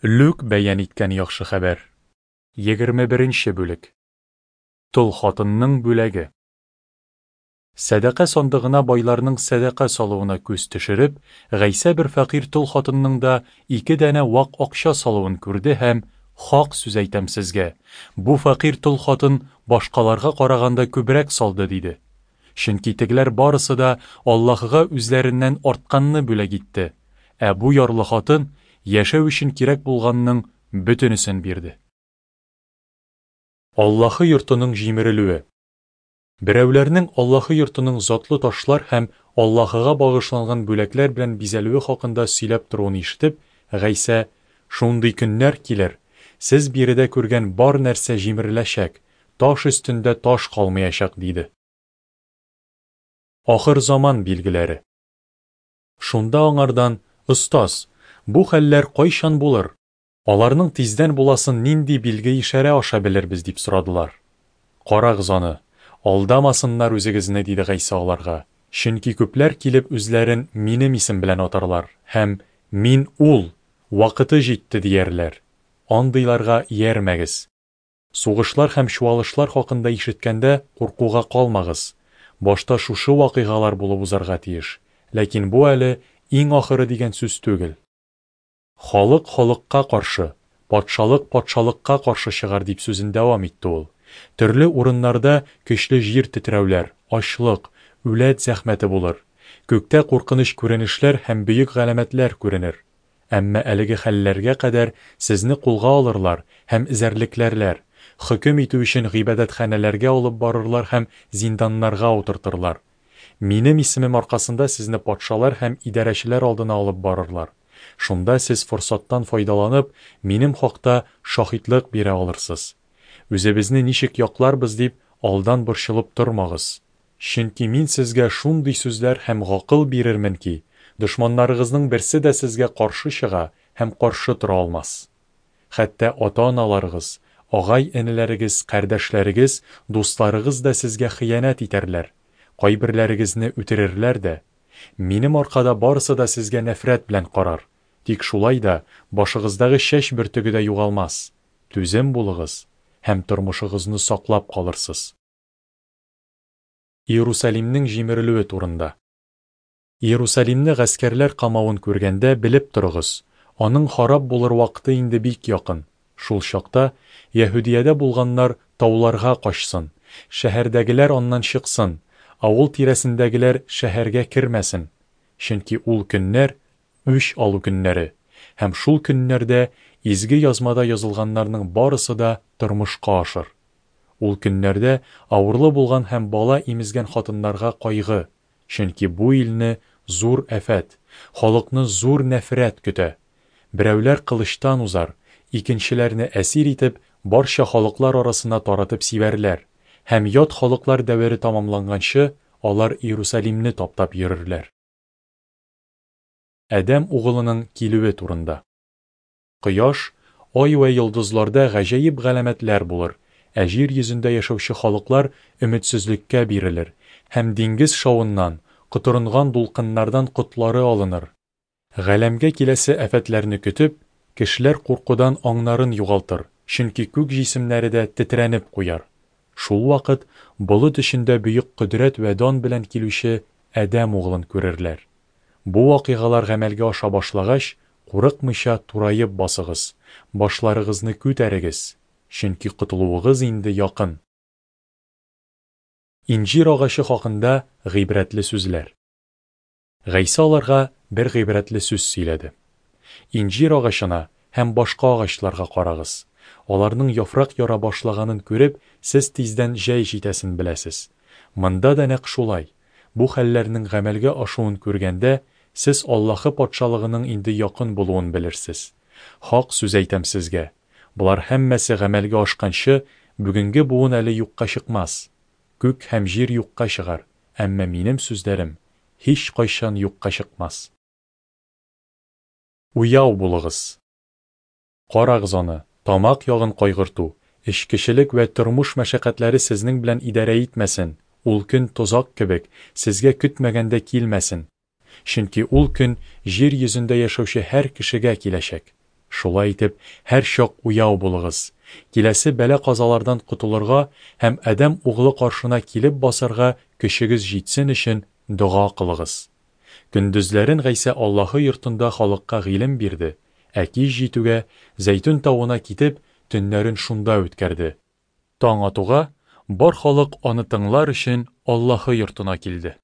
Лүк бәян иткән яхшы хәбәр. 21 нче бүлек. Тол хатынның бүләге. Сәдака сандыгына байларның сәдака салуына күз төшереп, Гайсә бер фәкыйрь тол хатынның да ике данә вак акча салуын күрде һәм, Хак сүз әйтәм сезгә, бу фәкыйрь тол хатын башкаларга караганда күбрәк салды, диде. Чөнки тегеләр барысы да Аллаһыга үзләреннән артканны бүләк итте, ә бу ярлы хатын яшәү өчен кирәк булганның бөтенесен бирде. Аллаһы йортының җимерелүе. Берәүләрнең Аллаһы йортының затлы ташлар һәм Аллаһыга багышланган бүләкләр белән бизәлүе хакында сөйләп торуын ишетеп, Гайсә, Шундый көннәр килер, сез биредә күргән бар нәрсә җимереләчәк, таш өстендә таш калмаячак, диде. Ахыр заман билгеләре. Шунда аңардан, Остаз, бу хәлләр кайчан булыр? Аларның тиздән буласын нинди билге-ишарә аша белербез, дип сорадылар. Карагыз аны, алдамасыннар үзегезне, диде Гайсә аларга, чөнки күпләр килеп үзләрен Минем исем белән атарлар һәм, Мин ул, вакыты җитте, диярләр. Андыйларга иярмәгез. Сугышлар һәм чуалышлар хакында ишеткәндә куркуга калмагыз. Башта шушы вакыйгалар булып узарга тиеш, ләкин бу әле иң ахыры дигән сүз түгел. Халык халыкка каршы, патшалык патшалыкка каршы чыгар, дип сүзен дәвам итте ул. Төрле урыннарда көчле җир тетрәүләр, ачлык, үләт зәхмәте булыр. Күктә куркыныч күренешләр һәм бөек галәмәтләр күренер. Әмма әлеге хәлләргә кадәр сезне кулга алырлар һәм эзәрлекләрләр, хөкем итү өчен гыйбадәтханәләргә алып барырлар һәм зинданнарга утыртырлар. Минем исемем аркасында сезне патшалар һәм идарәчеләр алдына алып барырлар. Шунда сез форсаттан файдаланып, минем хакта шаһитлык бирә алырсыз. Үзебезне ничек якларбыз дип, алдан борчылып тормагыз. Чөнки мин сезгә шундый сүзләр һәм гакыл бирермен ки, дошманнарыгызның берсе дә сезгә каршы чыга һәм каршы тора алмас. Хәтта ата-аналарыгыз, агай-энеләрегез, кардәшләрегез, дусларыгыз да сезгә хыянәт итәрләр, кайберләрегезне үтерерләр дә. Минем аркада барысы да сезгә нәфрәт белән карар, тик шулай да башыгыздагы чәч бөртеге дә югалмас. Түзем булыгыз, һәм тормышыгызны саклап калырсыз. Иерусалимнең җимерелүе турында. Иерусалимне гаскәрләр камавын күргәндә, белеп торыгыз, аның харап булыр вакыты инде бик якын. Шул чакта Яһүдиядә булганнар тауларга качсын, шәһәрдәгеләр аннан чыксын, авыл тирәсендәгеләр шәһәргә кермәсен. Чөнки ул көннәр, үч алу көннәре, һәм шул көннәрдә Изге Язмада язылганнарның барысы да тормышка ашыр. Ул көннәрдә авырлы булган һәм бала имезгән хатыннарга кайгы, чөнки бу илне зур афәт, халыкны зур нәфрәт көтә. Берәүләр кылычтан узар, икенчеләрне әсир итеп, барча халыклар арасына таратып сибәрләр, һәм ят халыклар дәвере тамамланганчы, алар Иерусалимне таптап йөрерләр. Адәм угылының килүе турында. Кояш, ай вә йолдызларда гаҗәеп галәмәтләр булыр, ә җир йөзендә яшәүче халыклар өметсезлеккә бирелер һәм диңгез шавыннан, котырынган дулкыннардан котлары алыныр. Галәмгә киләсе афәтләрне көтеп, кешеләр куркудан аңнарын югалтыр, чөнки күк җисемнәре дә тетрәнеп куяр. Шул вакыт болыт эчендә бөек кодрәт вә дан белән килүче Адәм углын күрерләр. Бу вакыйгалар гамәлгә аша башлагач, курыкмыйча тураеп басыгыз, башларыгызны күтәрегез, чөнки котылуыгыз инде якын. Инҗир агачы хакында гыйбрәтле сүзләр. Гайсә аларга бер гыйбрәтле сүз сөйләде. Инҗир агачына һәм башка агачларга карагыз. Аларның яфрак яра башлаганын күреп, сез тиздән җәй җитәсен беләсез. Монда да нәкъ шулай. Бу хәлләрнең гамәлгә ашуын күргәндә, сез Аллаһы Патшалыгының инде якын булуын белерсез. Хак сүз әйтәм сезгә, болар һәммәсе гамәлгә ашканчы, бүгенге буын әле юкка чыкмас. Күк һәм җир юкка чыгар, әмма минем сүзләрем һичкайчан юкка чыкмас. Уяу булыгыз! Карагыз аны, тамак ягын кайгырту, эчкечелек вә тормыш мәшәкатьләре сезнең белән идарә итмәсен, ул көн тозак кебек, сезгә көтмәгәндә килмәсен. Чөнки ул көн җир йөзендә яшәүче һәр кешегә киләчәк. Шулай итеп, һәрчак уяу булыгыз. Киләсе бәла-казалардан котылырга һәм Адәм Углы каршына килеп басарга көчегез җитсен өчен дога кылыгыз. Көндезләрен Гайсә Аллаһы йортында халыкка гыйлем бирде, ә кич җитүгә, Зәйтүн тавына китеп, төннәрен шунда үткәрде. Таң атуга, бар халык аны тыңлар өчен Аллаһы йортына килде.